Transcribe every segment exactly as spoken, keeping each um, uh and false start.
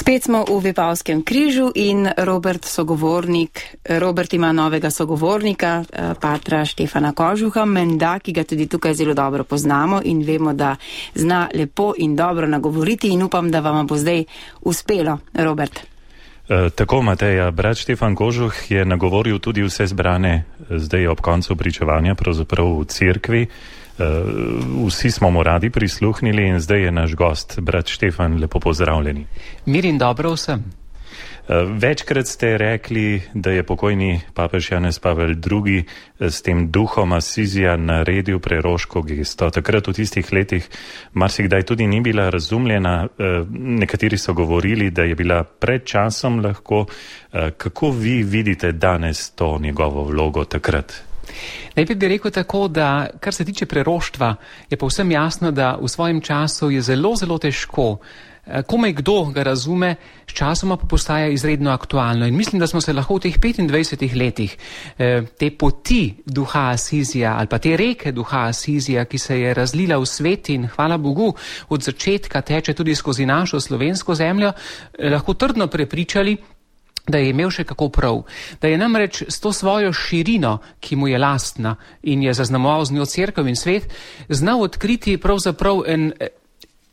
Spet smo v Vipavskem križu in Robert sogovornik, Robert ima novega sogovornika, patra Štefana Kožuha, menda, ki ga tudi tukaj zelo dobro poznamo in vemo, da zna lepo in dobro nagovoriti in upam, da vam bo zdaj uspelo, Robert. E, tako, Mateja, brat Štefan Kožuh je nagovoril tudi vse zbrane zdaj ob koncu pričevanja, pravzaprav v cerkvi. Vsi smo mu radi prisluhnili in zdaj je naš gost, brat Štefan, lepo pozdravljeni. Mir in dobro vsem. Večkrat ste rekli, da je pokojni papež Janez Pavel drugi s tem duhom Asizija naredil preroško gesto. Takrat v tistih letih marsikdaj tudi ni bila razumljena. Nekateri so govorili, da je bila pred časom lahko. Kako vi vidite danes to njegovo vlogo takrat? Najprej bi rekel tako, da kar se tiče preroštva, je povsem jasno, da v svojem času je zelo, zelo težko. Komaj kdo ga razume, s časoma pa postaja izredno aktualno. In mislim, da smo se lahko v teh petindvajsetih letih te poti duha Asizija ali pa te reke duha Asizija, ki se je razlila v svet in hvala Bogu od začetka teče tudi skozi našo slovensko zemljo, lahko trdno prepričali, da je imel še kako prav, da je namreč s to svojo širino, ki mu je lastna in je zaznamoval z njo cerkev in svet, znal odkriti pravzaprav en,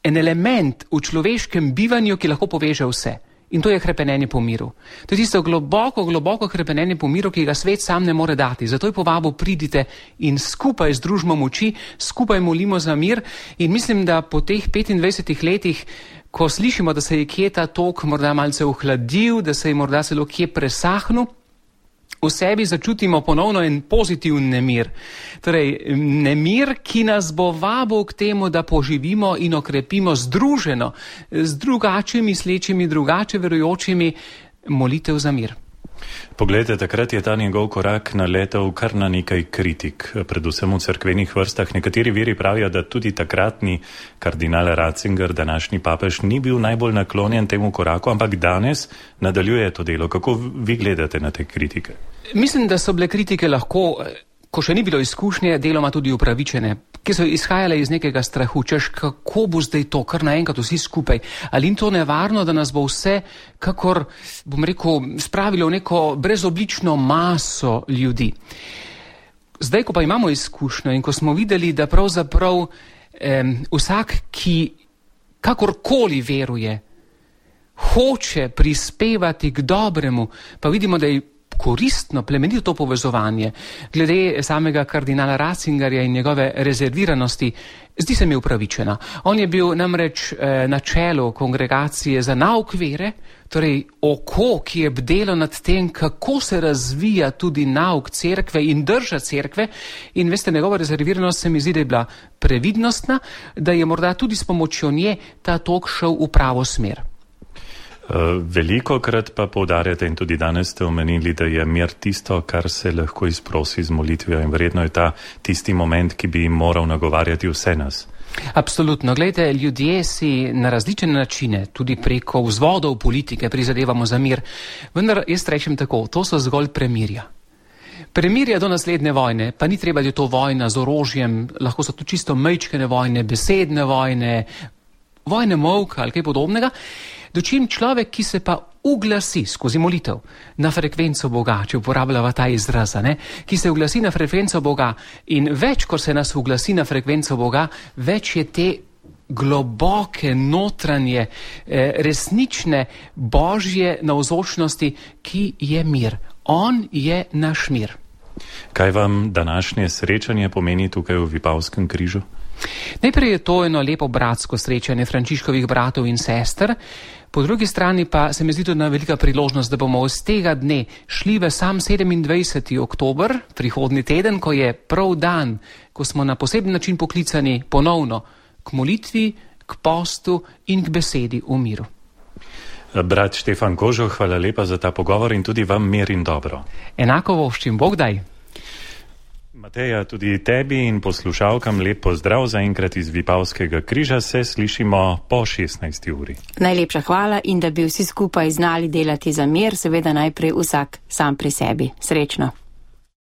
en element v človeškem bivanju, ki lahko poveže vse. In to je hrepenenje po miru. To je tisto globoko, globoko hrepenenje po miru, ki ga svet sam ne more dati. Zato je povabil, pridite in skupaj združimo moči, skupaj molimo za mir. In mislim, da po teh petindvajsetih letih, ko slišimo, da se je kje ta tok morda malce ohladil, da se je morda celo kje presahnil, v sebi začutimo ponovno en pozitiven nemir. Torej, nemir, ki nas bo vabil k temu, da poživimo in okrepimo združeno z drugače mislečimi, drugače verujočimi molitev za mir. Poglejte, takrat je ta njegov korak naletel kar na nekaj kritik, predvsem v cerkvenih vrstah. Nekateri viri pravijo, da tudi takratni kardinal Ratzinger, današnji papež, ni bil najbolj naklonjen temu koraku, ampak danes nadaljuje to delo. Kako vi gledate na te kritike? Mislim, da so bile kritike lahko, ko še ni bilo izkušnje, deloma tudi upravičene, ki so izhajale iz nekega strahu, češ kako bo zdaj to, kar naenkrat vsi skupaj. Ali ni to nevarno, da nas bo vse, kakor, bom rekel, spravilo v neko brezoblično maso ljudi. Zdaj, ko pa imamo izkušnjo in ko smo videli, da pravzaprav eh, vsak, ki kakorkoli veruje, hoče prispevati k dobremu, pa vidimo, da je koristno, plemenito to povezovanje. Glede samega kardinala Ratzingerja in njegove rezerviranosti, zdi se mi upravičena. On je bil namreč eh, na čelu kongregacije za nauk vere, torej oko, ki je bdelo nad tem, kako se razvija tudi nauk cerkve in drža cerkve. In veste, njegova rezerviranost se mi zdi, da je bila previdnostna, da je morda tudi s pomočjo nje ta tok šel v pravo smer. Veliko krat pa poudarjate in tudi danes ste omenili, da je mir tisto, kar se lahko izprosi z molitvijo in verjetno je ta tisti moment, ki bi moral nagovarjati vse nas. Absolutno. Glejte, ljudje si na različne načine, tudi preko vzvodov politike, prizadevamo za mir. Vendar jaz rečem tako, to so zgolj premirja. Premirja do naslednje vojne, pa ni treba, da je to vojna z orožjem, lahko so to čisto mejčkene vojne, besedne vojne, vojne molka ali kaj podobnega. Dočim človek, ki se pa uglasi skozi molitev na frekvenco Boga, če uporabljava ta izraz, ne? Ki se uglasi na frekvenco Boga in več, ko se nas uglasi na frekvenco Boga, več je te globoke, notranje, resnične božje navzočnosti, ki je mir. On je naš mir. Kaj vam današnje srečanje pomeni tukaj v Vipavskem križu? Najprej je to eno lepo bratsko srečanje Frančiškovih bratov in sester, po drugi strani pa se mi zdi tudi ena velika priložnost, da bomo iz tega dne šli v sam sedemindvajseti oktober, prihodnji teden, ko je prav dan, ko smo na poseben način poklicani ponovno k molitvi, k postu in k besedi v miru. Brat Štefan Kožuh, hvala lepa za ta pogovor in tudi vam mir in dobro. Enako voščim, Bog daj. Mateja, tudi tebi in poslušalkam lep pozdrav zaenkrat iz Vipavskega križa, se slišimo po šestnajsti uri. Najlepša hvala in da bi vsi skupaj znali delati za mir, seveda najprej vsak sam pri sebi. Srečno.